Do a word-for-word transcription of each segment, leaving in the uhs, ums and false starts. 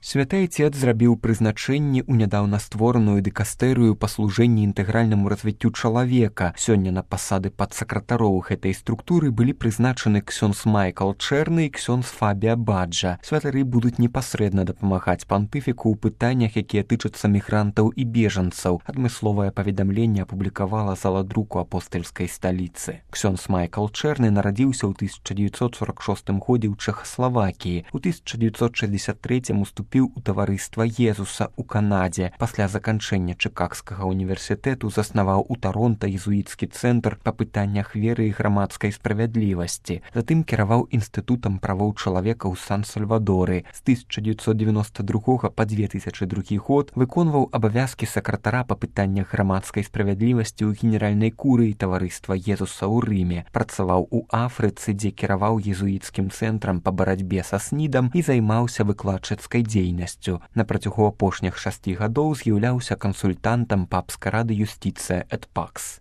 Святы Айцец зрабіў прызначэнне ў нядаўна створаную дыкастэрыю па служэнні інтэгральнаму развіццю чалавека. Сёння на пасады падсакратароў гэтай структуры былі прызначаны ксёндз Майкл Чэрны і ксёндз Фабія Баджа. Святары будуць непасрэдна дапамагаць пантыфіку ў пытаннях, якія тычацца мігрантаў і бежанцаў. Адмысловае паведамленне апублікавала зала друку апостальскай сталіцы. Ксёндз Майкл Чэрны нарадзіўся ў тысяча дзевяцьсот сорак шостым годзе ў Чэхаславакіі. У тысяча дзевяцьсот шэсцьдзесят трэцім уступіў у таварыства Езуса ў Канадзе. Пасля заканчэння Чыкагскага універсітэту заснаваў у Таронта езуіцкі цэнтр па пытаннях веры і грамадскай справядлівасці. Затым кіраваў інстытутам правоў чалавека ў Сан-Сальвадоры. З тысяча дзевяцьсот девяносто другога па две тысячы другі год выконваў абавязкі сакратара па пытаннях грамадскай справядлівасці ў генеральнай курыі таварыства Езуса ў Рыме. Працаваў у Афрыцы, дзе кіраваў езуіцкім цэнтрам па барацьбе са снідам і займаўся выкладчыцкай дзейнасцю. На працягу апошніх шасці гадоў з'яўляўся кансультантам папскай рады юстыцыя эт пакс.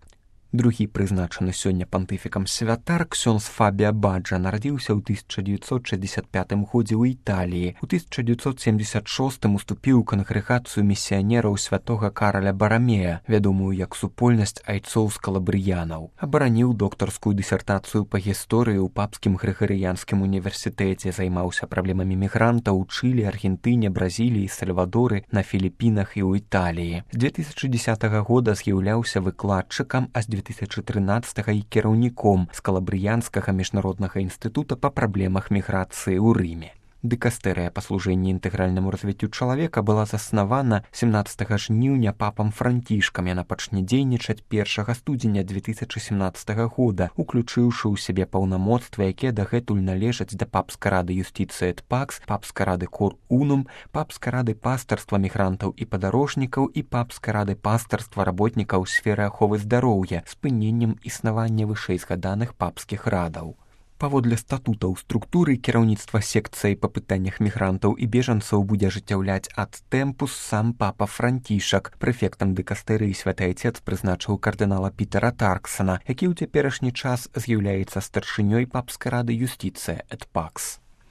Другі прызначаны сёння пантыфікам святар ксёндз Фабія Баджа нарадзіўся ў тысяча дзевяцьсот шэсцьдесят пятым годзе ў Італіі. У тысяча дзевяцьсот семдзесят шостым уступіў у кангрэгацыю місіянераў святога Караля Барамея, вядомую як супольнасць айцоў-скалабрыянаў. Абараніў доктарскую дысертацыю па гісторыі ў папскім грыгарыянскім універсітэце, займаўся праблемамі мігрантаў у Чылі, Аргентыне, Бразіліі, Сальвадоры, на Філіпінах і ў Італіі. З две тысячы дзесятага года з'яўляўся выкладчыкам, а з две тысячи тринадцатага і кіраўніком скалабрыянскага міжнароднага інстытута па праблемах міграцыі ў Рыме. Дыкастэрыя па служэнні інтэгральнаму развіццю чалавека была заснавана семнаццатага жніўня папам Францішкам. Яна пачне дзейнічаць першага студзеня две тысячи семнаццатага года, уключыўшы ў сябе паўнамоцтвы, якія дагэтуль належаць да папскай рады юстыцыя эт пакс, папскай рады Кор Унум, папскай рады пастарства мігрантаў і падарожнікаў і папскай рады пастарства работнікаў сферы аховы здароўя з спыненнем існавання вышэйзгаданых папскіх радаў. Паводле статутаў структуры кіраўніцтва секцыяй па пытаннях мігрантаў і бежанцаў будзе ажыццяўляць ад тэмпус сам папа Францішак. Прэфектам дыкастэрыі святы Айцец прызначыў кардынала Пітера Тарксана, які ў цяперашні час з'яўляецца старшынёй папскай рады юстыцыя эт пакс.